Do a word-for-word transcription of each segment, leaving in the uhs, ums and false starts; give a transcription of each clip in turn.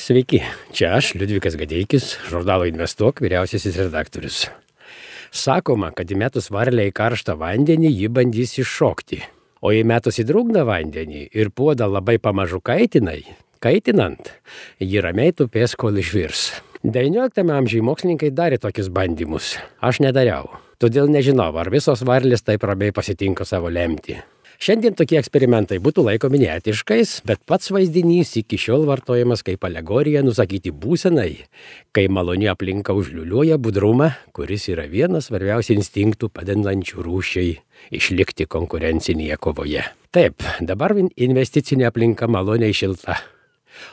Sveiki, čia aš, Liudvikas Gadeikis, žurnalo Investuok, vyriausiasis redaktorius. Sakoma, kad įmetus varlę į karštą vandenį, ji bandys iššokti. O įmetus į drungną vandenį ir puodą labai pamažu kaitinai, kaitinant, ji ramiai tupės, kol išvirs. devynioliktame amžiuje mokslininkai darė tokius bandymus. Aš nedariau. Todėl nežinau, ar visos varlės taip ramiai pasitinka savo lemtį. Šiandien tokie eksperimentai būtų laikomi neetiškais, bet pats vaizdinys iki šiol vartojamas kaip alegorija nusakyti būsenai, kai maloni aplinka užliuliuoja budrumą, kuris yra vienas svarbiausių instinktų padedančių rūšiai išlikti konkurencinėje kovoje. Taip, dabar investicinė aplinka maloniai šilta.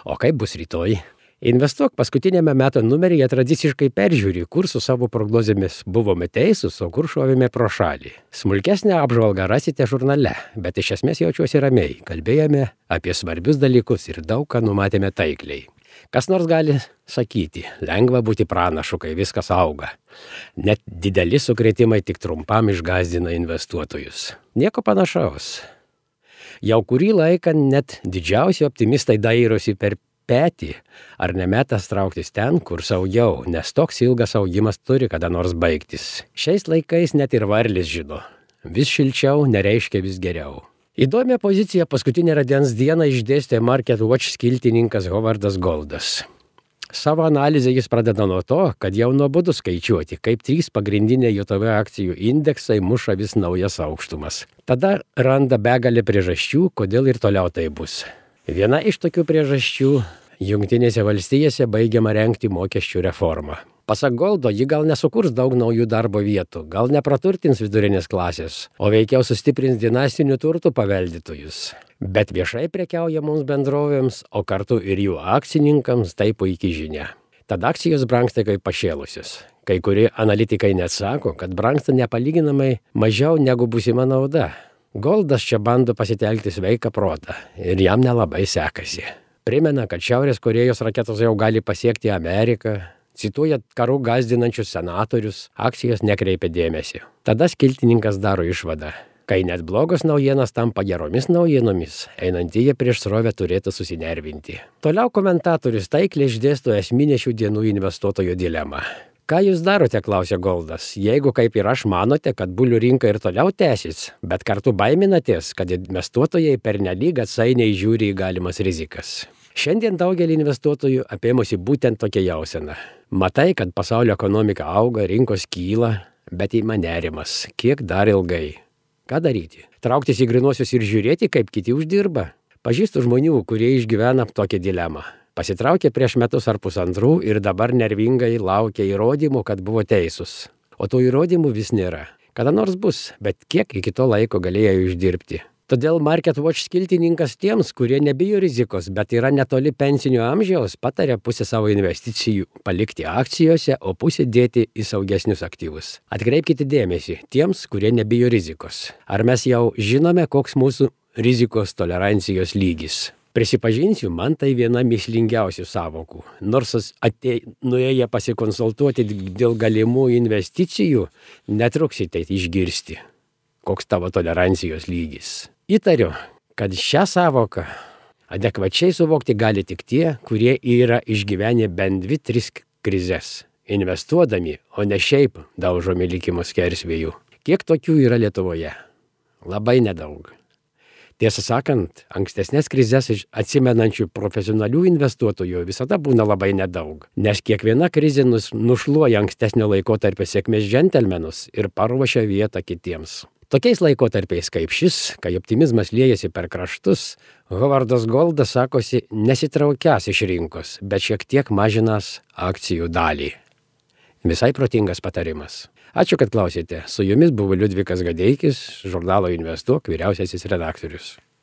O kaip bus rytoj? Investuok paskutinėme metų numeryje tradiciškai peržiūri, kur su savo prognozėmis buvome teisūs, o kur šovėme pro šalį. Smulkesnę apžvalgą rasite žurnale, bet iš esmės jaučiuosi ramiai. Kalbėjome apie svarbius dalykus ir daug ką numatėme taikliai. Kas nors gali sakyti, lengva būti pranašu, kai viskas auga. Net dideli sukrėtimai tik trumpam išgąsdina investuotojus. Nieko panašaus. Jau kurį laiką net didžiausi optimistai dairosi per petį, ar nemetas trauktis ten, kur saugiau, nes toks ilgas augimas turi kada nors baigtis. Šiais laikais net ir varlis žino. Vis šilčiau nereiškia vis geriau. Įdomią poziciją paskutinę rudens dieną išdėstė Market Watch skiltininkas Hovardas Goldas. Savo analizę jis pradeda nuo to, kad jau nuobodu skaičiuoti, kaip trys pagrindiniai J T V akcijų indeksai muša vis naujas aukštumas. Tada randa begalę priežasčių, kodėl ir toliau tai bus. Viena iš tokių priežasčių – Jungtinėse valstijose baigiama rengti mokesčių reformą. Pasak Goldo, ji gal nesukurs daug naujų darbo vietų, gal nepraturtins vidurinės klasės, o veikiau sustiprins dinastinių turtų paveldytojus. Bet viešai prekiaujamoms bendrovėms, o kartu ir jų akcininkams tai puikiai žinia. Tada akcijos brangsta kaip pašėlusios. Kai kurie analitikai net sako, kad brangsta nepalyginamai mažiau negu būsima nauda. Goldas čia bando pasitelkti sveiką protą ir jam nelabai sekasi. Primena, kad Šiaurės Korėjos raketos jau gali pasiekti Ameriką, cituoja karų gąsdinančius senatorius, akcijos nekreipia dėmesio. Tada skiltininkas daro išvadą. Kai net blogos naujienos tampa geromis naujienomis, einantieji prieš srovę turėtų susinervinti. Toliau komentatorius taikliai išdėsto esminę šių dienų investuotojų dilemą. Ką jūs darote, klausė Goldas, jeigu kaip ir aš manote, kad bulių rinka ir toliau tęsis, bet kartu baiminatės, kad investuotojai pernelyg atsainiai žiūri į galimas rizikas. Šiandien daugelį investuotojų apėmusi būtent tokia jausena. Matai, kad pasaulio ekonomika auga, rinkos kyla, bet ima nerimas. Kiek dar ilgai? Ką daryti? Trauktis į grynuosius ir žiūrėti, kaip kiti uždirba? Pažįstu žmonių, kurie išgyvena tokią dilemą. Pasitraukė prieš metus ar pusantrų ir dabar nervingai laukia įrodymų, kad buvo teisūs. O tų įrodymų vis nėra. Kada nors bus, bet kiek iki to laiko galėjo uždirbti. Todėl Market Watch skiltininkas tiems, kurie nebijo rizikos, bet yra netoli pensinio amžiaus, patarė pusę savo investicijų palikti akcijose, o pusę dėti į saugesnius aktyvus. Atkreipkite dėmesį tiems, kurie nebijo rizikos. Ar mes jau žinome, koks mūsų rizikos tolerancijos lygis? Prisipažinsiu, man tai viena mįslingiausių savokų. Nors atė, nuėję pasikonsultuoti dėl galimų investicijų, netruksite išgirsti, koks tavo tolerancijos lygis. Įtariu, kad šią savoką adekvačiai suvokti gali tik tie, kurie yra išgyvenę bent dvi, tris krizes, investuodami, o ne šiaip daužomi likimo skersvėjų. Kiek tokių yra Lietuvoje? Labai nedaug. Tiesą sakant, ankstesnės krizes atsimenančių profesionalių investuotojų visada būna labai nedaug, nes kiekviena krizė nušluoja ankstesnio laikotarpio sėkmės džentelmenus ir paruošia vietą kitiems. Tokiais laikotarpiais kaip šis, kai optimizmas liejasi per kraštus, Hovardas Goldas sakosi nesitraukias iš rinkos, bet šiek tiek mažinas akcijų dalį. Visai protingas patarimas. Ačiū, kad klausėte. Su jumis buvo Liudvikas Gadeikis, žurnalo Investuok, vyriausiasis redaktorius.